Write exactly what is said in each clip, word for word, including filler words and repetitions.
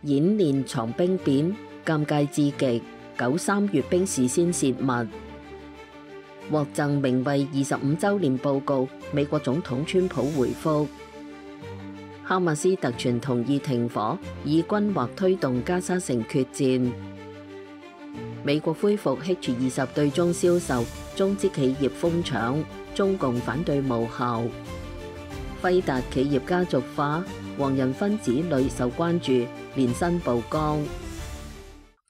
演練藏兵變，尷尬至極。九三閱兵事先泄密，獲贈名為二十五週年報告。美國總統川普回覆：哈馬斯特傳同意停火，以軍或推動加沙城決戰。美國恢復 H 二十對中銷售，中資企業瘋搶，中共反對無效。輝達企業家族化，黃仁勳子女受關注，年薪曝光。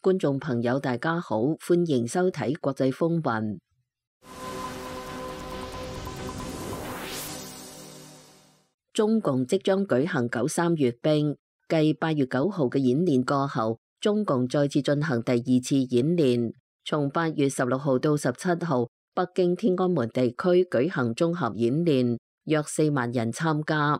觀眾朋友大家好，歡迎收睇國際風雲。中共即將舉行九三閱兵，繼八月九號嘅演練過後，中共再次進行第二次演練。從八月十六號到十七號，北京天安門地區舉行綜合演練，約四萬人參加。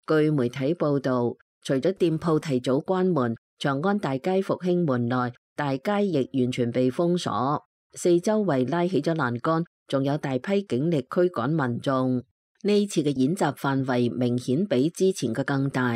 據媒體報道，除咗店鋪提早關門，長安大街復興門內大街亦完全被封鎖，四周圍拉起咗欄杆，仲有大批警力驅趕民眾。呢次嘅演習範圍明顯比之前嘅更大。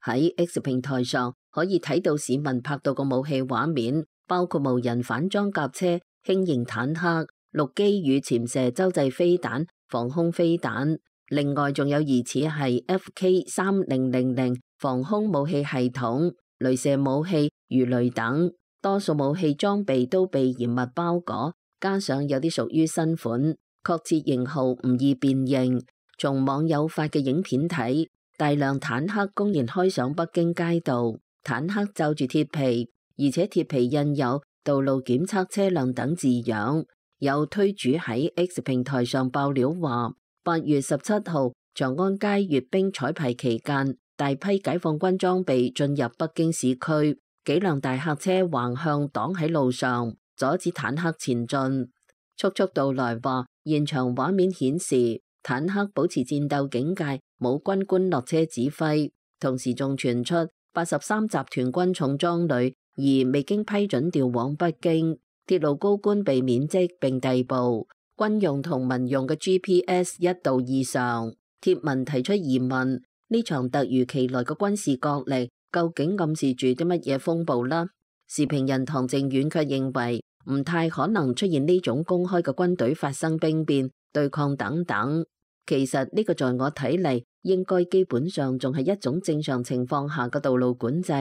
喺 X 平台上可以睇到市民拍到個武器畫面，包括無人反裝甲車、輕型坦克、陸基與潛射洲際飛彈、防空飛彈，另外仲有疑似係 F K 三零零零防空武器系統、雷射武器、魚雷等。多數武器裝備都被嚴密包裹，加上有啲屬於新款，確切型號唔易辨認。從網友發嘅影片睇，大量坦克公然開上北京街道，坦克罩住鐵皮，而且鐵皮印有道路檢測車輛等字樣。有推主喺 X 平台上爆料話，八月十七號長安街閱兵彩排期間，大批解放軍裝備進入北京市區。幾輛大客車橫向擋喺路上，阻止坦克前進。速速道來話，現場畫面顯示坦克保持戰鬥警戒，冇軍官落車指揮。同時仲傳出八十三集團軍重裝旅而未經批准調往北京，鐵路高官被免職並逮捕。軍用同民用嘅 G P S 一度異常。貼文提出疑問：呢場突如其來嘅軍事角力，究竟暗示住啲乜嘢風暴呢？時評人唐靖遠卻認為唔太可能出現呢種公開嘅軍隊發生兵變、對抗等等。其實呢個在我睇嚟，應該基本上仲係一種正常情況下嘅道路管制，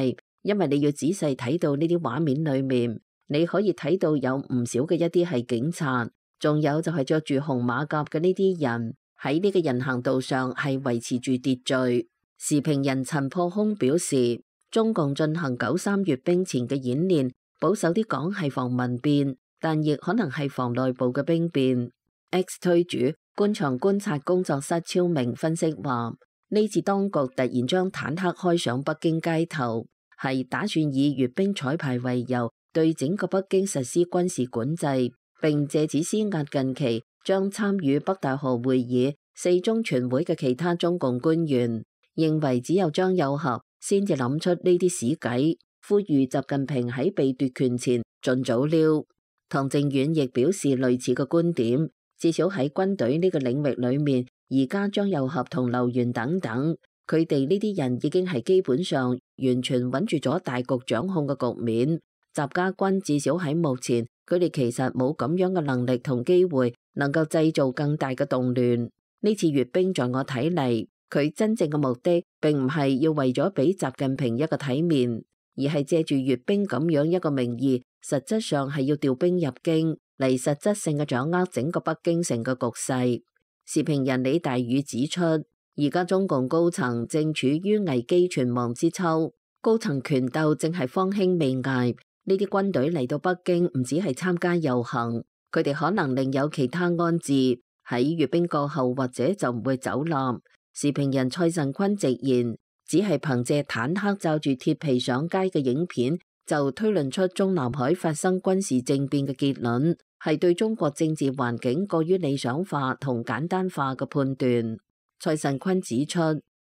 因為你要仔細睇到呢啲畫面裏面，你可以睇到有唔少嘅一啲係警察，仲有就係着住紅馬甲嘅呢啲人喺呢個人行道上係維持住秩序。時評人陳破空表示，中共進行九三閱兵前嘅演練，保守啲講係防民變，但亦可能係防內部嘅兵變。X 推主官場觀察工作室超明分析話，呢次當局突然將坦克開上北京街頭，係打算以閱兵彩排為由，對整個北京實施軍事管制，並借此施壓近期將參與北戴河會議、四中全會嘅其他中共官員。認為只有張又俠先至諗出呢啲屎計，呼籲習近平喺被奪權前盡早溜。唐靖遠亦表示類似嘅觀點，至少喺軍隊呢個領域裏面，而家張又俠同劉源等等，佢哋呢啲人已經係基本上完全穩住咗大局掌控嘅局面。習家軍至少喺目前，佢哋其實冇咁樣嘅能力同機會，能夠製造更大嘅動亂。呢次閱兵在我睇嚟，佢真正嘅目的並唔係要為咗俾習近平一個體面，而係借住閱兵咁樣一個名義，實質上係要調兵入京嚟實質性嘅掌握整個北京城嘅局勢。時評人李大宇指出，而家中共高層正處於危機存亡之秋，高層權鬥正係方興未艾。呢啲軍隊嚟到北京唔止係參加遊行，佢哋可能另有其他安置，喺閱兵過後或者就唔會走啦。時評人蔡慎坤直言，只係憑借坦克罩住鐵皮上街嘅影片，就推論出中南海發生軍事政變嘅結論，係對中國政治環境過於理想化同簡單化嘅判斷。蔡慎坤指出，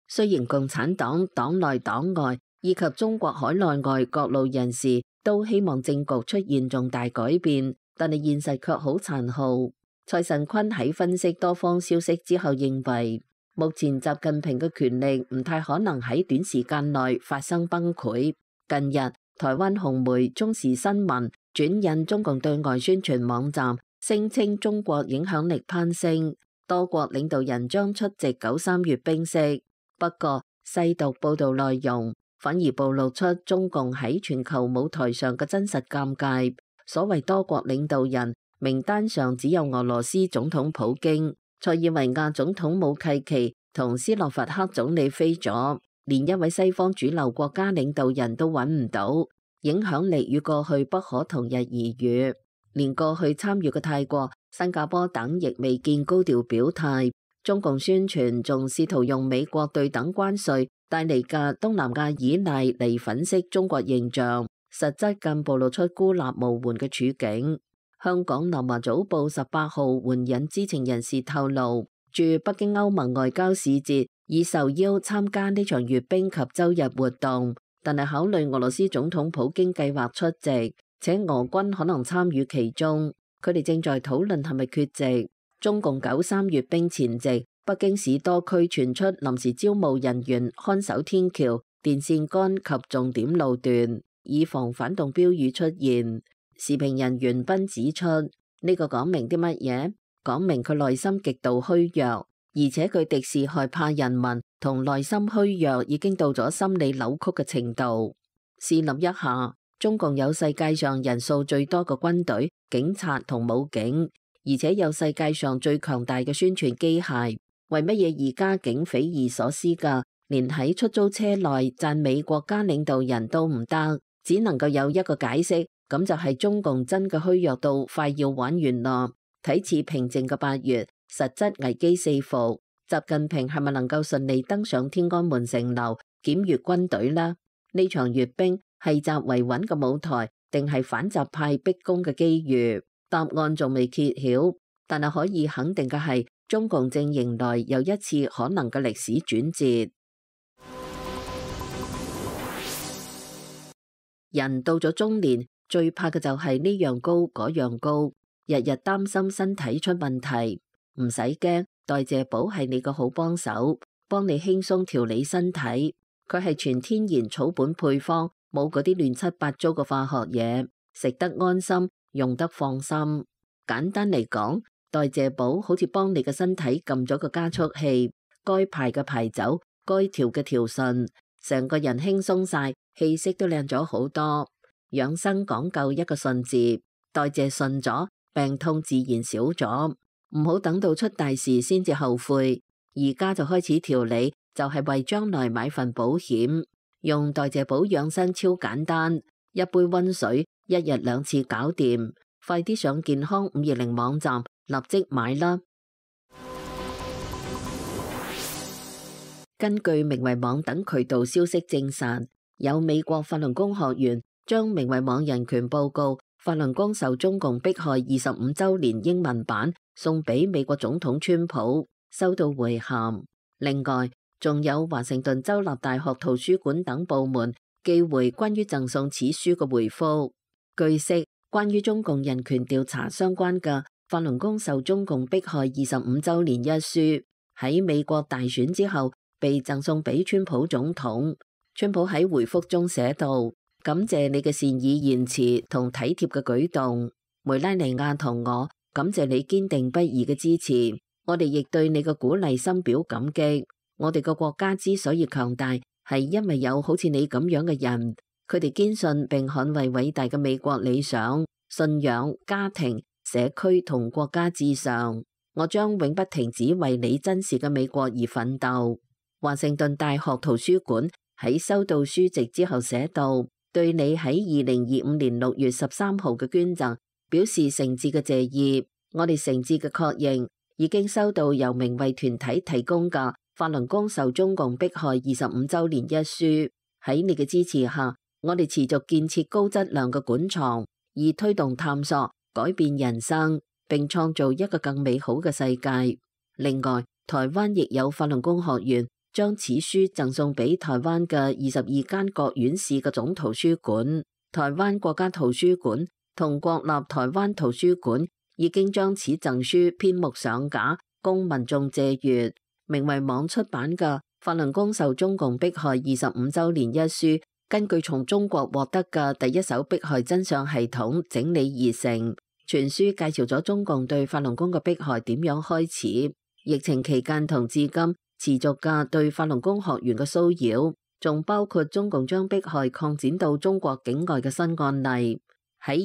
雖然共產黨黨內黨外以及中國海內外各路人士都希望政局出現重大改變，但係現實卻好殘酷。蔡慎坤喺分析多方消息之後認為，目前習近平嘅權力唔太可能喺短時間內發生崩潰，近日，台灣紅媒中時新聞轉印中共對外宣傳網站，聲稱中國影響力攀升，多國領導人將出席九三閱兵式。不過，細讀報道內容，反而暴露出中共喺全球舞台上嘅真實尷尬。所謂多國領導人名單上只有俄羅斯總統普京、塞爾維亞總統武契奇同斯洛伐克總理飛咗，連一位西方主流國家領導人都揾唔到，影響力與過去不可同日而語。連過去參與嘅泰國、新加坡等亦未見高調表態。中共宣傳仲試圖用美國對等關稅帶嚟嘅東南亞依賴嚟粉飾中國形象，實質更暴露出孤立無援嘅處境。香港南華早報十八號援引知情人士透露，駐北京歐盟外交使節已受邀參加呢場閱兵及周日活動，但係考慮俄羅斯總統普京計劃出席，且俄軍可能參與其中，佢哋正在討論係咪缺席。中共九三閱兵前夕，北京市多區傳出臨時招募人員看守天橋、電線桿及重點路段，以防反動標語出現。時評人袁斌指出，呢、這個講明啲乜嘢？講明佢內心極度虛弱，而且佢敵視害怕人民同內心虛弱已經到咗心理扭曲嘅程度。試諗一下，中共有世界上人數最多嘅軍隊、警察同武警，而且有世界上最強大嘅宣傳機械，為乜嘢而家竟匪夷所思㗎？連喺出租車內讚美國家領導人都唔得，只能夠有一個解釋，咁就係中共真嘅虛弱到快要玩完啦。睇似平靜嘅八月，實質危機四伏。習近平係咪能夠順利登上天安門城樓檢閱軍隊呢？呢場閱兵係習維穩嘅舞台，定係反習派逼宮嘅機遇？答案仲未揭曉，但係可以肯定嘅係，中共正迎來又一次可能嘅歷史轉折。人到咗中年，最怕嘅就係呢樣高嗰樣高，日日擔心身體出問題。唔使驚，代謝寶係你個好幫手，幫你輕鬆調理身體。佢係全天然草本配方，冇嗰啲亂七八糟嘅化學嘢，食得安心，用得放心。簡單嚟講，代謝寶好似幫你嘅身體撳咗個加速器，該排嘅排走，該調嘅調順，成個人輕鬆晒，氣息都靚咗好多。養生講究一個順字，代謝順咗，病痛自然少咗。唔好等到出大事先至後悔，而家就開始調理，就係為將來買份保險。用代謝寶養生超簡單，一杯溫水，一日兩次搞掂。快啲上健康五二零網站立即買啦！根據明慧網等渠道消息證實，有美國法輪功學員將明慧網人權報告法輪功受中共迫害二十五週年英文版送俾美國總統川普，收到回函。另外，仲有華盛頓州立大學圖書館等部門寄回關於贈送此書嘅回覆。據悉，關於中共人權調查相關嘅法輪功受中共迫害二十五週年一書，喺美國大選之後被贈送俾川普總統。川普喺回覆中寫道：感謝你嘅善意言辭同體貼嘅舉動，梅拉尼亞同我感謝你堅定不移嘅支持，我哋亦對你嘅鼓勵深表感激。我哋個國家之所以強大，係因為有好似你咁樣嘅人，佢哋堅信並捍衛偉大嘅美國理想、信仰、家庭、社區同國家至上。我將永不停止為你珍視嘅美國而奮鬥。華盛頓大學圖書館喺收到書籍之後寫道：對你喺二零二五年六月十三號嘅捐贈表示誠摯嘅謝意。我哋誠摯嘅確認，已經收到由明慧團體提供嘅法輪功受中共迫害二十五週年一書。喺你嘅支持下，我哋持續建設高質量嘅館藏，以推動探索、改變人生，並創造一個更美好嘅世界。另外，台灣亦有法輪功學員將此書贈送俾台灣嘅二十二間各縣市嘅總圖書館。台灣國家圖書館同國立台灣圖書館已經將此贈書編目上架，供民眾借閱。明慧網出版嘅《法輪功受中共迫害二十五週年一書》根據從中國獲得嘅第一手迫害真相系統整理而成，全書介紹咗中共對法輪功嘅迫害點樣開始，疫情期間同至今持續嘅對法輪功學員嘅騷擾，仲包括中共將迫害擴展到中國境外嘅新案例。喺